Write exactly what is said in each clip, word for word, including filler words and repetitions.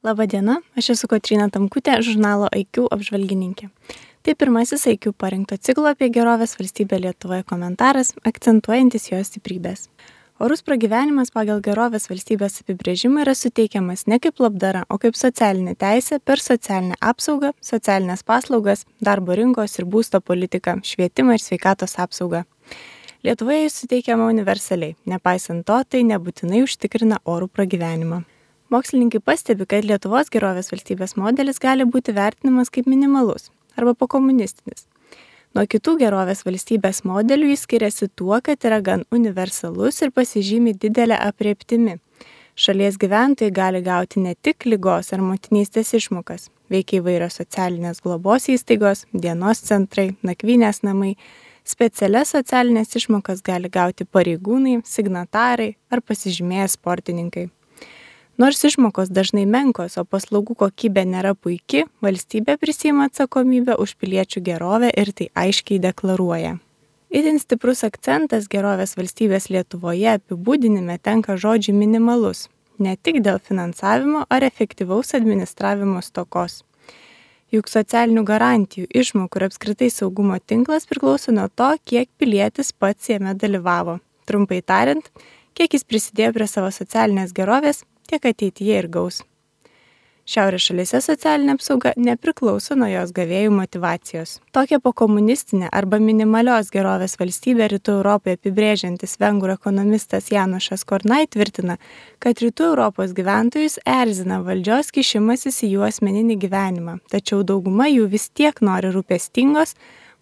Labadiena, aš esu Kotryna Tamkutė, žurnalo I Q apžvalgininkė. Tai pirmasis I Q parinkto ciklo apie gerovės valstybę Lietuvoje komentaras, akcentuojantis jos stiprybės. Orus pragyvenimas pagal gerovės valstybės apibrėžimą yra suteikiamas ne kaip labdara, o kaip socialinė teisė per socialinę apsaugą, socialinės paslaugas, darbo rinkos ir būsto politiką, švietimą ir sveikatos apsaugą. Lietuvoje jis suteikiama universaliai, nepaisant to, tai nebūtinai užtikrina orų pragyvenimą. Mokslininkai pastebi, kad Lietuvos gerovės valstybės modelis gali būti vertinamas kaip minimalus arba pokomunistinis. Nuo kitų gerovės valstybės modelių jis skiriasi tuo, kad yra gan universalus ir pasižymi didelę aprėptimi. Šalies gyventojai gali gauti ne tik ligos ar motinystės išmokas, veikia įvairios socialinės globos įstaigos, dienos centrai, nakvynės namai. Specialias socialinės išmokas gali gauti pareigūnai, signatarai ar pasižymėję sportininkai. Nors išmokos dažnai menkos, o paslaugų kokybė nėra puiki, valstybė prisiima atsakomybę už piliečių gerovę ir tai aiškiai deklaruoja. Itin stiprus akcentas gerovės valstybės Lietuvoje apibūdinime tenka žodžiui minimalus, ne tik dėl finansavimo ar efektyvaus administravimo stokos. Juk socialinių garantijų, išmokų ir apskritai saugumo tinklas priklauso nuo to, kiek pilietis pats jame dalyvavo. Trumpai tariant, kiek jis prisidėjo prie savo socialinės gerovės, tiek ateityje ir gaus. Šiaurės šalyse socialinė apsauga nepriklauso nuo jos gavėjų motyvacijos. Tokią pokomunistinę arba minimalios gerovės valstybę Rytų Europoje apibrėžiantis vengrų ekonomistas Janošas Kornai tvirtina, kad Rytų Europos gyventojus erzina valdžios kišimasis į jų asmeninį gyvenimą, tačiau dauguma jų vis tiek nori rūpestingos,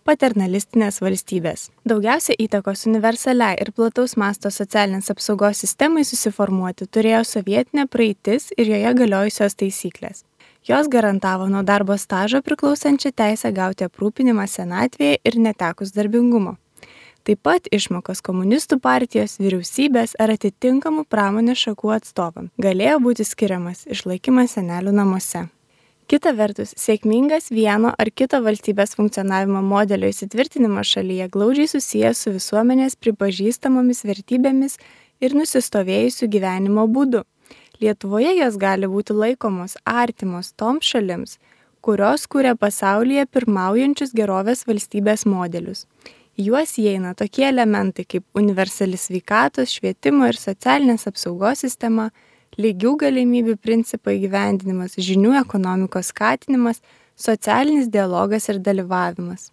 paternalistinės valstybės. Daugiausia įtakos universaliai ir plataus masto socialinės apsaugos sistemai susiformuoti turėjo sovietinė praeitis ir joje galiojusios taisyklės. Jos garantavo nuo darbo stažo priklausančią teisę gauti aprūpinimą senatvėje ir netekus darbingumo. Taip pat išmokos komunistų partijos, vyriausybės ar atitinkamų pramonės šakų atstovam galėjo būti skiriamas išlaikymas senelių namuose. Kita vertus, sėkmingas vieno ar kito valstybės funkcionavimo modelio įsitvirtinimas šalyje glaudžiai susijęs su visuomenės pripažįstamomis vertybėmis ir nusistovėjusiu gyvenimo būdu. Lietuvoje jos gali būti laikomos artimos toms šalims, kurios kuria pasaulyje pirmaujančius gerovės valstybės modelius. Į juos įeina tokie elementai kaip universali sveikatos, švietimo ir socialinės apsaugos sistema, lygių galimybių principo įgyvendinimas, žinių ekonomikos skatinimas, socialinis dialogas ir dalyvavimas.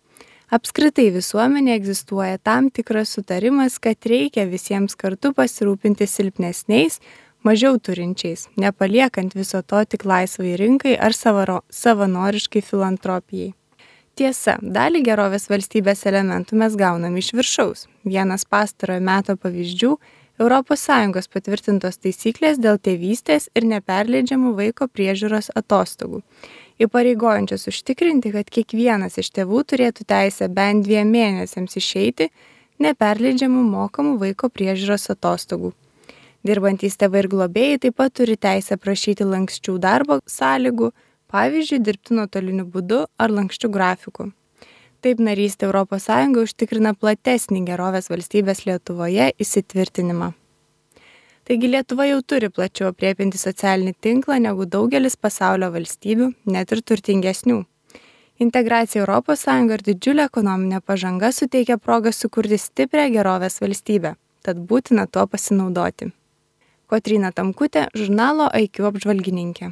Apskritai visuomenėje egzistuoja tam tikras sutarimas, kad reikia visiems kartu pasirūpinti silpnesniais, mažiau turinčiais, nepaliekant viso to tik laisvai rinkai ar savaro, savanoriškai filantropijai. Tiesa, dalį gerovės valstybės elementų mes gaunam iš viršaus. Vienas pastarojo meto pavyzdžių – Europos Sąjungos patvirtintos taisyklės dėl tėvystės ir neperleidžiamų vaiko priežiūros atostogų, įpareigojančios užtikrinti, kad kiekvienas iš tėvų turėtų teisę bent dviem mėnesiams išeiti neperleidžiamų mokamų vaiko priežiūros atostogų. Dirbantys tėvai ir globėjai taip pat turi teisę prašyti lanksčių darbo sąlygų, pavyzdžiui, dirbti nuotoliniu būdu ar lanksčių grafikų. Taip narystė Europos Sąjunga užtikrina platesnį gerovės valstybės Lietuvoje įsitvirtinimą. Taigi Lietuva jau turi plačiau aprėpiantį socialinį tinklą negu daugelis pasaulio valstybių, net ir turtingesnių. Integracija Europos Sąjunga ir didžiulė ekonominė pažanga suteikia progą sukurti stiprią gerovės valstybę, tad būtina tuo pasinaudoti. Kotryna Tamkutė, žurnalo I Q apžvalgininkė.